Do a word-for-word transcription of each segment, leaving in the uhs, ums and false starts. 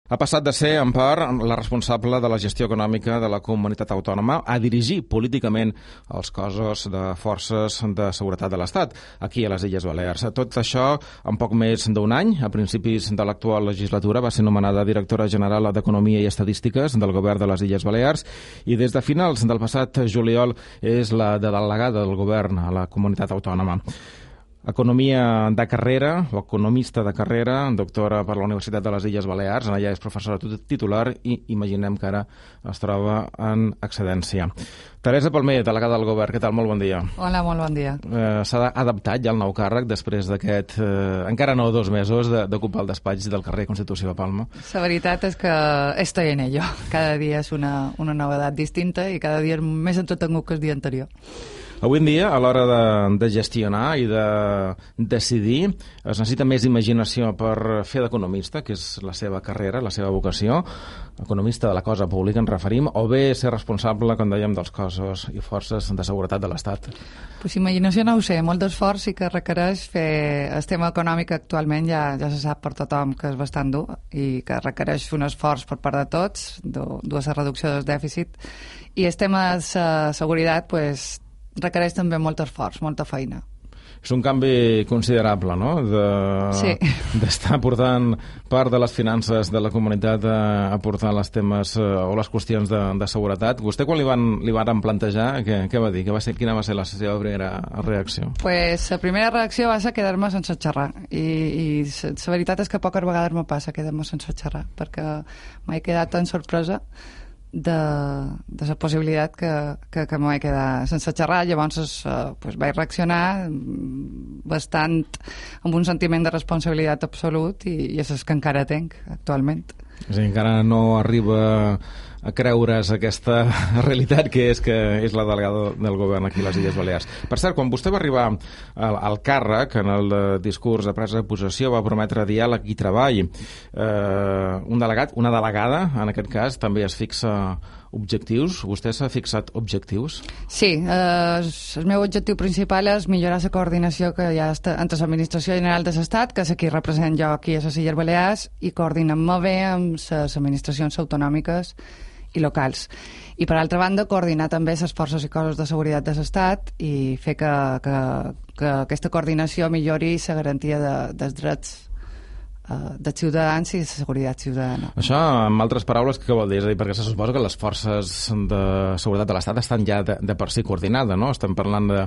Ha passat de ser, en part, la responsable de la gestió econòmica de la comunitat autònoma a dirigir políticament els cossos de forces de seguretat de l'Estat, aquí a les Illes Balears. Tot això, en poc més d'un any, a principis de l'actual legislatura, va ser nomenada directora general d'Economia i Estadístiques del govern de les Illes Balears i des de finals del passat juliol és la delegada del govern a la comunitat autònoma. Economia de carrera, o economista de carrera, doctora per la Universitat de les Illes Balears, allà és professora titular i imaginem que ara es troba en excedència. Teresa Palmer, delegada del govern, què tal? Molt bon dia. Hola, molt bon dia. Eh, S'ha adaptat ja el nou càrrec després d'aquest, eh, encara no dos mesos, d'ocupar el despatx del carrer Constitució de Palma? La veritat és que estoy en ello. Cada dia és una, una novedat distinta i cada dia és més entretengut que el dia anterior. Avui en dia, a l'hora de, de gestionar i de decidir, es necessita més imaginació per fer d'economista, que és la seva carrera, la seva vocació, economista de la cosa pública, ens referim, o bé ser responsable, com dèiem, dels cossos i forces de seguretat de l'Estat? Pues imaginació no ho sé, molt d'esforç sí que requereix fer... El tema econòmic actualment ja, ja se sap per tothom que és bastant dur i que requereix un esforç per part de tots, dues reducció del dèficit, i el tema de seguretat, pues, requereix també molt esforç, molta feina. És un canvi considerable, no?, de, sí. d'estar portant part de les finances de la comunitat a, a portar les temes eh, o les qüestions de, de seguretat. Vostè, quan li van, li van plantejar, què, què va dir? Què va ser, quina va ser la seva primera reacció? Pues la primera reacció va ser quedar-me sense xerrar. I, i la veritat és que poques vegades me passa quedar-me sense xerrar, perquè m'he quedat tan sorpresa de, de la possibilitat que, que, que m'he quedat sense xerrar. Llavors eh, pues, vaig reaccionar bastant amb un sentiment de responsabilitat absolut i, i és el que encara tinc actualment. És a dir, encara no arriba a creure's aquesta realitat que és que és la delegada del govern aquí a les Illes Balears. Per cert, quan vostè va arribar al, al càrrec, en el discurs de presa de possessió, va prometre diàleg i treball. Eh, un delegat, una delegada, en aquest cas, també es fixa objectius. Vostè s'ha fixat objectius? Sí, eh, el meu objectiu principal és millorar la coordinació que hi ha entre l'Administració General de l'Estat, que és qui represent jo aquí a les Illes Balears, i coordinem molt bé amb les administracions autonòmiques i locals. I, per altra banda, coordinar també les forces i cossos de seguretat de l'Estat i fer que, que, que aquesta coordinació millori la garantia de, dels drets de ciutadans i de seguretat ciutadana. Això, en altres paraules, què vol dir? És a dir, perquè se suposa que les forces de seguretat de l'Estat estan ja de, de per si coordinades, no? Estem parlant de,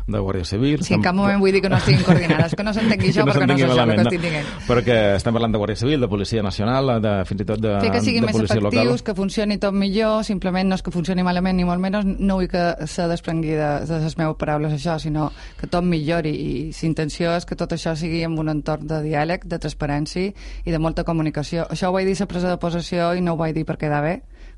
de Guàrdia Civil... Sí, en cap moment vull dir que no estiguin coordinades, que no s'entengui això, no perquè no és això el que estic dient. Perquè estem parlant de Guàrdia Civil, de Policia Nacional, de, fins i tot de, Fer que siguin de més policia efectius, local. Que funcioni tot millor, simplement no és que funcioni malament ni molt menys, no vull que se desprengui de, de les meves paraules això, sinó que tot millori, i l'intenció és que tot això sigui en un entorn de diàleg, de transparència i de molta comunicació. Això ho vaig dir a la presa de possessió i no ho vaig dir per quedar bé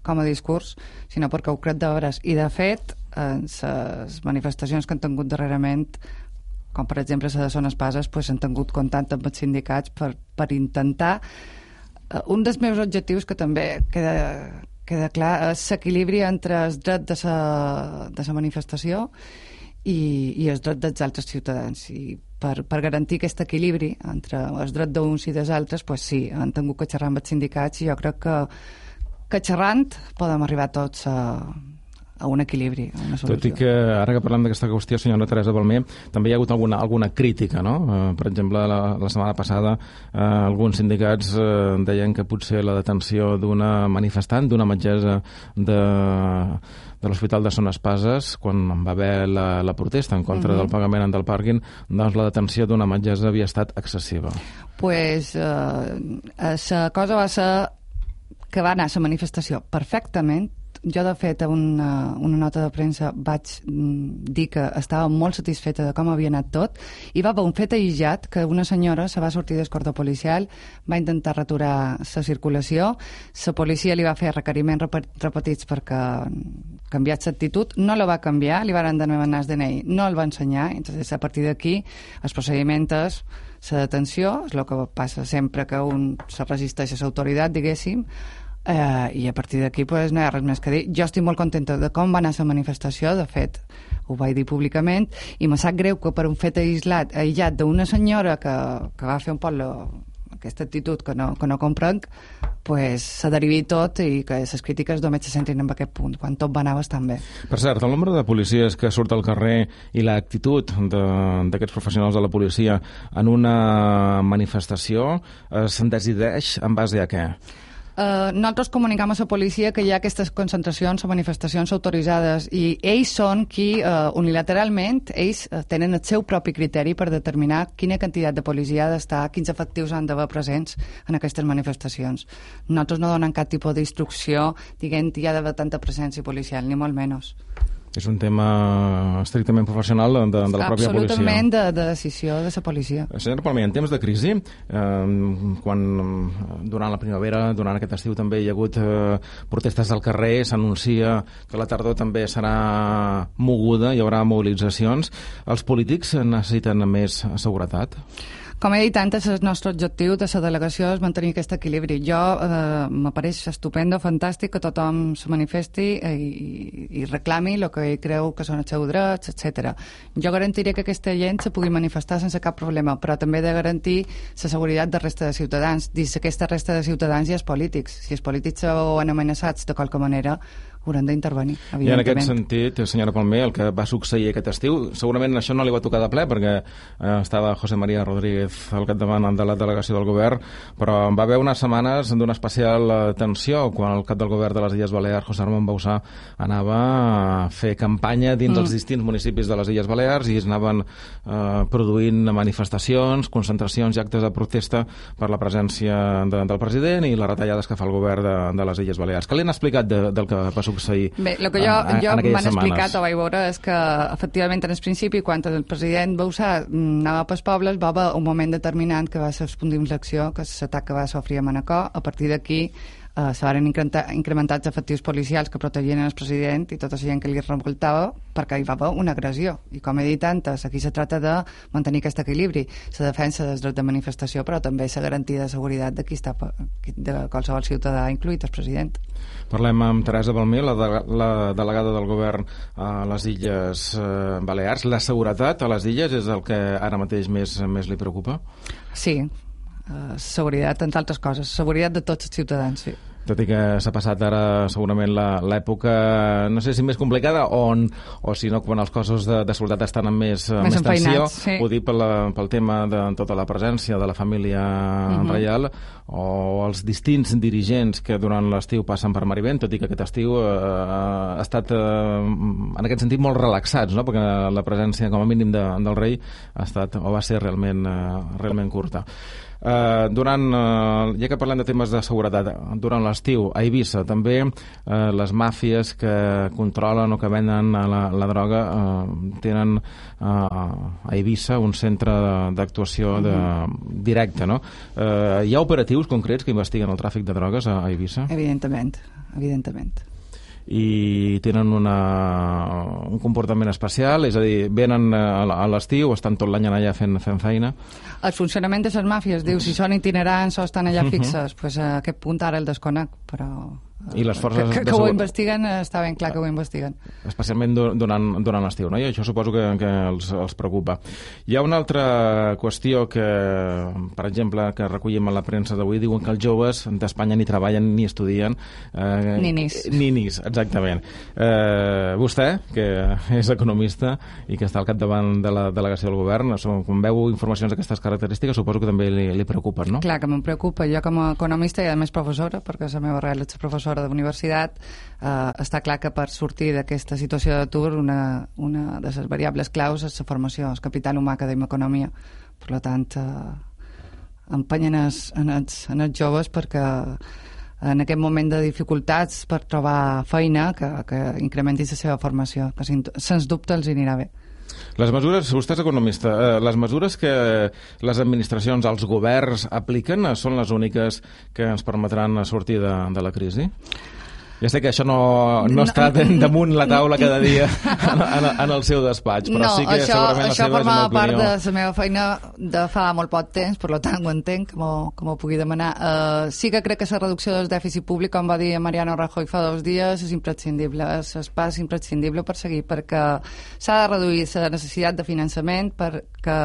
com a discurs, sinó perquè ho crec de veres. I de fet, en les manifestacions que han tingut darrerament, com per exemple la de Son Espases, pues, han tingut contacte amb els sindicats per, per intentar uh, un dels meus objectius, que també queda, queda clar, és l'equilibri entre el dret de la de la manifestació i, i el dret dels altres ciutadans. I per, per garantir aquest equilibri entre els drets d'uns i dels altres, pues sí, han tingut que xerrar amb els sindicats i jo crec que, que xerrant podem arribar tots a, a un equilibri, a una solució. Tot i que, ara que parlem d'aquesta qüestió, senyora Teresa Palmer, també hi ha hagut alguna, alguna crítica, no? Eh, per exemple, la, la setmana passada eh, alguns sindicats eh, deien que potser la detenció d'una manifestant, d'una metgessa de... de l'Hospital de Son Espases, quan va haver la, la protesta en contra uh-huh. del pagament del pàrquing, doncs la detenció d'una metgessa havia estat excessiva. Pues la eh, cosa va ser que va anar a la manifestació perfectament. Jo, de fet, a una, una nota de premsa vaig dir que estava molt satisfeta de com havia anat tot, i va haver un fet aïllat que una senyora se va sortir del cordó policial, va intentar retirar la circulació, la policia li va fer requeriments repetits perquè canviat l'actitud, no la va canviar, li van demanar el D N I, no el va ensenyar, entonces a partir d'aquí el procediment és la detenció, és el que passa sempre que un se resisteix a l'autoritat, diguéssim, Uh, i a partir d'aquí pues, no hi ha res més que dir. Jo estic molt contenta de com va anar la manifestació, de fet ho vaig dir públicament, i me sap greu que per un fet aïllat, aïllat d'una senyora que, que va fer un poc lo, aquesta actitud que no, que no comprenc, pues, se derivi tot i que les crítiques només se centrin en aquest punt, quan tot va anar bastant bé. Per cert, el nombre de policies que surt al carrer i l'actitud d'aquests professionals de la policia en una manifestació eh, se'n decideix en base a què? Uh, nosaltres comunicam a la policia que hi ha aquestes concentracions o manifestacions autoritzades i ells són qui uh, unilateralment ells uh, tenen el seu propi criteri per determinar quina quantitat de policia ha d'estar, quins efectius han d'haver presents en aquestes manifestacions. Nosaltres no donem cap tipus d'instrucció dient que hi ha d'haver tanta presència policial, ni molt menys. És un tema estrictament professional de, de la pròpia policia. Absolutament de, de decisió de la policia. Senyora Palmer, en temps de crisi, eh, quan durant la primavera, durant aquest estiu també hi ha hagut eh, protestes al carrer, s'anuncia que la tardor també serà moguda, hi haurà mobilitzacions. Els polítics necessiten més seguretat? Com he dit antes, el nostre objectiu de la delegació és mantenir aquest equilibri. Jo eh, m'apareix estupendo, fantàstic que tothom se manifesti i, i reclami el que ell creu que són els seus drets, etcètera. Jo garantiré que aquesta gent se pugui manifestar sense cap problema, però també he de garantir la seguretat de resta de ciutadans. Dins aquesta resta de ciutadans hi ha els polítics. Si els polítics són amenaçats de qualque manera, hauran d'intervenir, evidentment. I en aquest sentit, senyora Palmer, el que va succeir aquest estiu, segurament això no li va tocar de ple, perquè eh, estava José María Rodríguez al capdavant de la delegació del govern, però va haver unes setmanes d'una especial tensió quan el cap del govern de les Illes Balears, José Ramon Bauzá, anava a fer campanya dins mm. els distints municipis de les Illes Balears i es anaven eh, produint manifestacions, concentracions i actes de protesta per la presència de, del president i les retallades que fa el govern de, de les Illes Balears. Què li han explicat de, del que va succeir? Bé, el que jo, jo m'han explicat o vaig veure és que efectivament en el principi quan el president Bauzá anava pels pobles va haver un moment determinant que va ser el punt d'inflexió, que és l'atac que va sofrir a Manacor. A partir d'aquí Uh, s'han incrementat els efectius policials que protegien el president i tota la gent que li revoltava perquè hi va haver una agressió. I com he dit antes, aquí se tracta de mantenir aquest equilibri, la defensa dels drets de manifestació, però també la garantia de seguretat de qui està, de qualsevol ciutadà, incluït el president. Parlem amb Teresa Palmer, la, de, la delegada del govern a les Illes eh, Balears. La seguretat a les illes és el que ara mateix més, més li preocupa? Sí, Uh, seguretat, entre altres coses, seguretat de tots els ciutadans, sí. Tot i que s'ha passat ara segurament l'època, no sé si més complicada o, on, o si no, quan els cossos de, de soldat estan amb més, més, més tensió, sí. Ho dic pel, pel tema de tota la presència de la família uh-huh. reial o els distints dirigents que durant l'estiu passen per Marivent, tot i que aquest estiu eh, ha estat eh, en aquest sentit molt relaxats, no? Perquè la presència com a mínim de, del rei ha estat o va ser realment, eh, realment curta. Uh, durant, uh, ja que parlem de temes de seguretat, durant l'estiu a Eivissa també uh, les màfies que controlen o que venen la, la droga uh, tenen uh, a Eivissa un centre d'actuació de, directe, no? Uh, hi ha operatius concrets que investiguen el tràfic de drogues a, a Eivissa? Evidentment, evidentment. I tenen una, un comportament especial, és a dir, venen a l'estiu, estan tot l'any allà fent, fent feina. El funcionament de les màfies, diu, si són itinerants o estan allà fixes, uh-huh. pues a aquest punt ara el desconec, però... I les forces que, que, que ho investiguen, està ben clar que ho investiguen. Especialment durant, durant l'estiu, no? I això suposo que, que els, els preocupa. Hi ha una altra qüestió que, per exemple, que recollim a la premsa d'avui, diuen que els joves d'Espanya ni treballen ni estudien. Eh, ninis. Ninis, exactament. Eh, vostè, que és economista i que està al capdavant de la delegació del govern, quan veu informacions d'aquestes característiques, suposo que també li, li preocupen, no? Clar que em preocupa. Jo com a economista i a més professora, perquè la meva arrel és professora de universitat, eh, està clar que per sortir d'aquesta situació d'atur una, una de les variables claus és la formació, el capital humà que dèiem economia. Per tant, eh, empenyen els, en, els, en els joves perquè en aquest moment de dificultats per trobar feina que, que incrementi la seva formació, que sens dubte els anirà bé. Les mesures, vostè és economista, eh, les mesures que les administracions, els governs apliquen són les úniques que ens permetran sortir de, de la crisi? Ja sé que això no, no està damunt la taula cada dia en, en, en el seu despatx, però no, sí que això, segurament la seva és una opinió. Això formava part de la meva feina de fa molt poc temps, per tant ho entenc, que m'ho pugui demanar. Uh, sí que crec que la reducció del dèficit públic, com va dir Mariano Rajoy fa dos dies, és imprescindible, és el pas imprescindible per seguir, perquè s'ha de reduir la necessitat de finançament perquè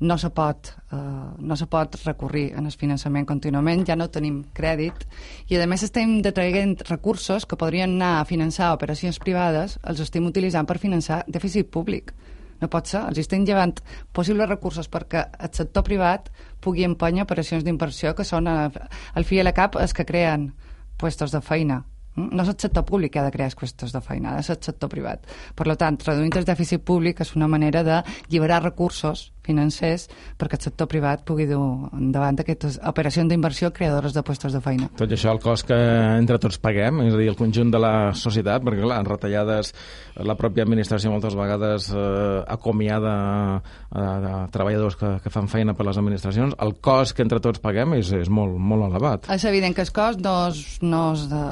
no se pot Uh, no se pot recurrir en el finançament contínuament, ja no tenim crèdit i a més estem detraient recursos que podrien anar a finançar operacions privades, els estem utilitzant per finançar dèficit públic. No pot ser, els estem llevant possibles recursos perquè el sector privat pugui empènyer operacions d'inversió que són al fi i a la cap els que creen puestos de feina. No és el sector públic que ha de crear qüestions de feina, és el sector privat. Per tant, reduint el dèficit públic és una manera de lliberar recursos financers perquè el sector privat pugui dur endavant aquestes operacions d'inversió creadores de puestos de feina. Tot això el cost que entre tots paguem, és a dir, el conjunt de la societat, perquè clar, en retallades la pròpia administració moltes vegades eh, acomiada eh, de treballadors que, que fan feina per les administracions, el cost que entre tots paguem és, és molt, molt elevat. És evident que el cost no és, no és de...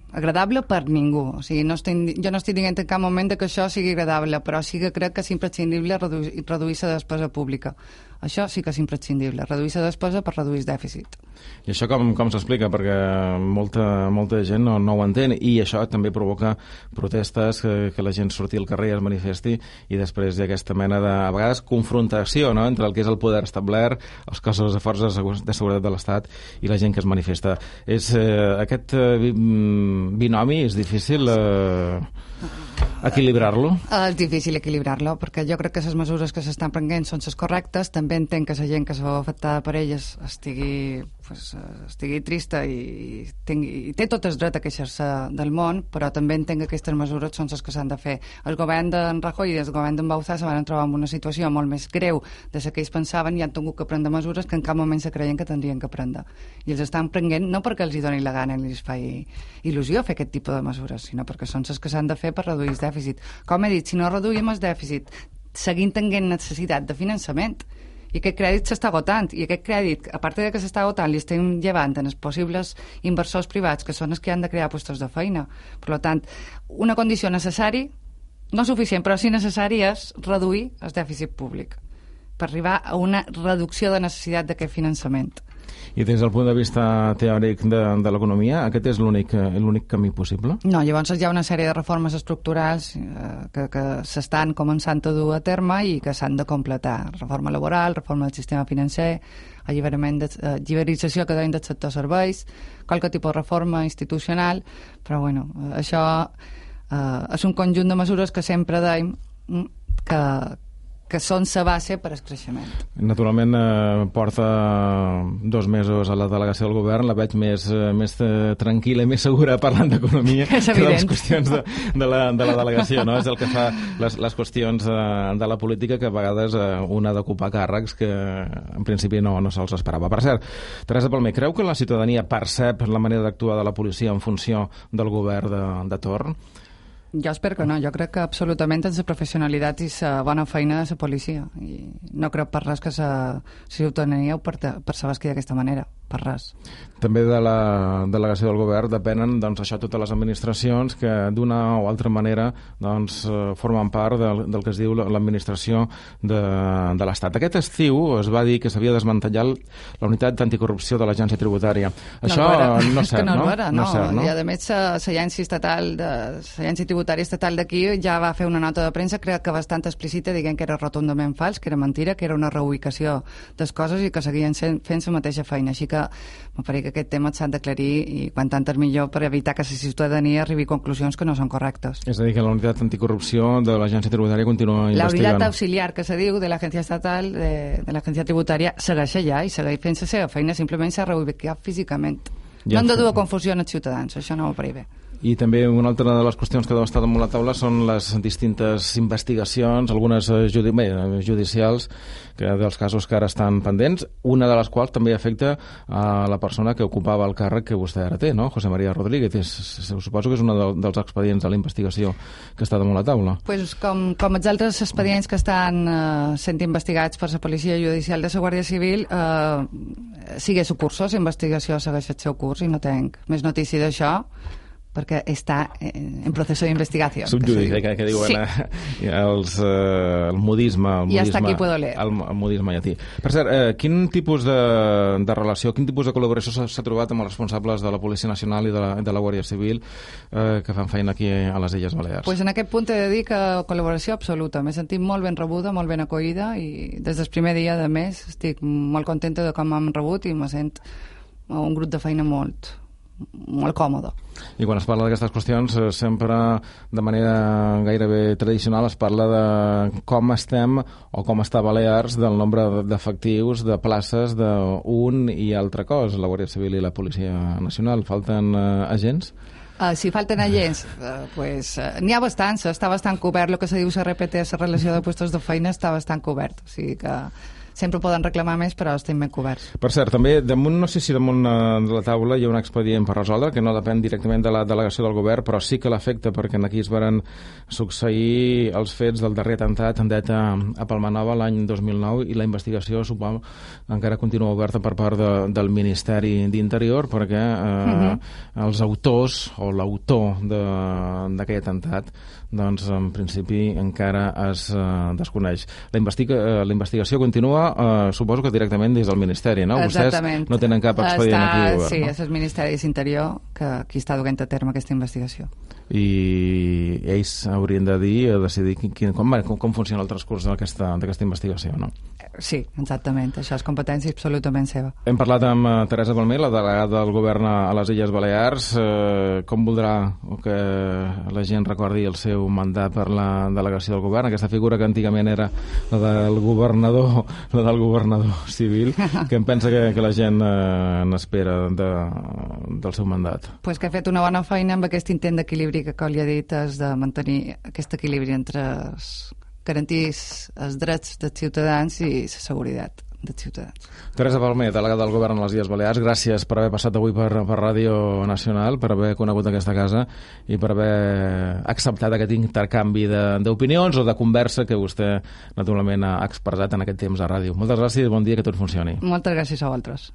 agradable per ningú. O sigui, no estic, jo no estic dient en cap moment que això sigui agradable, però sí que crec que és imprescindible reduir, reduir la despesa pública. Això sí que és imprescindible, reduir la despesa per reduir el dèficit. I això com, com s'explica? Perquè molta, molta gent no, no ho entén i això també provoca protestes, que, que la gent surti al carrer i es manifesti i després hi ha aquesta mena de, a vegades, confrontació, no?, entre el que és el poder establert, els cossos de forces de seguretat de l'Estat i la gent que es manifesta. És, eh, aquest eh, binomi és difícil eh, equilibrar-lo? És difícil equilibrar-lo, perquè jo crec que les mesures que s'estan prenent són les correctes. També entenc que la gent que se veu afectada per elles estigui, pues, estigui trista i, tingui, i té tot el dret a queixar-se del món, però també entenc que aquestes mesures són les que s'han de fer. El govern d'en Rajoy i el govern d'en Bauzá se van trobar en una situació molt més greu de la que ells pensaven i han tingut que prendre mesures que en cap moment se creien que tindrien que prendre. I els estan prenent no perquè els hi doni la gana i els fa il·lusió fer aquest tipus de mesures, sinó perquè són les que s'han de fer per reduir el dèficit. Com he dit, si no reduïm el dèficit, seguim tenint necessitat de finançament i aquest crèdit s'està agotant i aquest crèdit, a part de que s'està agotant, li estem llevant en els possibles inversors privats que són els que han de crear llocs de feina. Per tant, una condició necessària, no suficient, però sí necessària, és reduir el dèficit públic per arribar a una reducció de necessitat d'aquest finançament. I des del punt de vista teòric de, de l'economia, aquest és l'únic l'únic camí possible? No, llavors hi ha una sèrie de reformes estructurals eh, que, que s'estan començant a dur a terme i que s'han de completar. Reforma laboral, reforma del sistema financer, alliberament de, eh, lliberització que deien del sector serveis, qualque tipus de reforma institucional, però bueno, això eh, és un conjunt de mesures que sempre deim que que són la base per al creixement. Naturalment, eh, porta dos mesos a la delegació del govern, la veig més, eh, més eh, tranquil·la i més segura parlant d'economia que de les qüestions de, de, la, de la delegació, no? És el que fa les, les qüestions eh, de la política que a vegades eh, un ha d'ocupar càrrecs que en principi no, no se'ls esperava. Per cert, Teresa Palmer, creu que la ciutadania percep la manera d'actuar de la policia en funció del govern de, de torn? Jo espero que no, jo crec que absolutament és la professionalitat i la bona feina de la policia i no crec per res que la ciutadania ho percebesqui d'aquesta manera, per res. També de la delegació del govern depenen, doncs, això, totes les administracions que d'una o altra manera doncs, formen part del, del que es diu l'administració de, de l'Estat. Aquest estiu es va dir que s'havia desmantellat la unitat d'anticorrupció de l'agència tributària. Això no, no és cert, no? No, no, no és cert, no? I a més l'agència estatal de l'agència tributària estatal d'aquí ja va fer una nota de premsa, crec que bastant explícita, dient que era rotundament fals, que era mentira, que era una reubicació de coses i que seguien fent la mateixa feina. Així que em pareix que aquest tema s'ha d'aclarir i quan tant és millor per evitar que la ciutadania arribi a conclusions que no són correctes. És a dir, que la unitat anticorrupció de l'agència tributària continua investigant. La unitat auxiliar que se diu de l'agència estatal, de, de l'agència tributària, segueix allà i segueix fent la seva feina, simplement s'ha reubicat físicament. Ja no han de dur a confusió als ciutadans, això no m'apareix bé. I també una altra de les qüestions que deu estar damunt la taula són les distintes investigacions, algunes judi bé, judicials, que dels casos que ara estan pendents, una de les quals també afecta a la persona que ocupava el càrrec que vostè ara té, no? José María Rodríguez. És, suposo que és un de, dels expedients de la investigació que està damunt la taula. Pues com, com els altres expedients que estan eh, sent investigats per la Policia Judicial de la Guàrdia Civil, eh, sigue su cursos, la investigació segueix el seu curs i no tenc més notícia d'això, perquè està en procés d'investigació. Subjudit, que, que diuen sí. eh, els, eh, el modisme, el I modisme, hasta aquí puedo leer. El, el modisme llatí. Per cert, eh, quin tipus de, de relació, quin tipus de col·laboració s'ha trobat amb els responsables de la Policia Nacional i de la, de la Guàrdia Civil eh, que fan feina aquí a les Illes Balears? Pues en aquest punt he de dir que col·laboració absoluta. M'he sentit molt ben rebuda, molt ben acollida i des del primer dia de mes estic molt contenta de com m'han rebut i me sent un grup de feina molt molt còmode. I quan es parla d'aquestes qüestions, sempre de manera gairebé tradicional es parla de com estem o com està Balears del nombre d'efectius, de places d'un i altre cos, la Guàrdia Civil i la Policia Nacional. Falten eh, agents? Uh, si falten agents, uh, pues, uh, n'hi ha bastants, està bastant cobert, el que se diu R P T, la relació de puestos de feina, està bastant cobert, o sigui que sempre poden reclamar més, però estem ben coberts. Per cert, també, damunt, no sé si damunt de la taula hi ha un expedient per resoldre, que no depèn directament de la delegació del govern, però sí que l'afecta, perquè aquí es varen succeir els fets del darrer atemptat en deta a Palmanova l'any dos mil nou, i la investigació, suposo, encara continua oberta per part de, del Ministeri d'Interior, perquè eh, uh-huh. els autors, o l'autor d'aquest atemptat, doncs, en principi, encara es eh, desconeix. La, investiga, eh, la investigació continua, eh, suposo que directament des del Ministeri, no? Exactament. Vostès no tenen cap expedient està, aquí obert, sí, no? és el Ministeri d'Interior que qui està duent a terme aquesta investigació. I ells haurien de dir, a decidir quin, com, com, com funciona el transcurs d'aquesta investigació, no? Sí, exactament. Això és competència absolutament seva. Hem parlat amb uh, Teresa Palmer, la delegada del govern a les Illes Balears. Uh, com voldrà que la gent recordi el seu mandat per la delegació del govern? Aquesta figura que antigament era la del governador, la del governador civil, que em pensa que, que la gent uh, n'espera de, del seu mandat. Pues que ha fet una bona feina amb aquest intent d'equilibri que, com li ha dit, és de mantenir aquest equilibri entre els garantir els drets dels ciutadans i la seguretat dels ciutadans. Teresa Palmer, delegada del govern a les Illes Balears, gràcies per haver passat avui per, per Ràdio Nacional, per haver conegut aquesta casa i per haver acceptat aquest intercanvi d'opinions o de conversa que vostè naturalment ha expressat en aquest temps a ràdio. Moltes gràcies i bon dia, que tot funcioni. Moltes gràcies a vosaltres.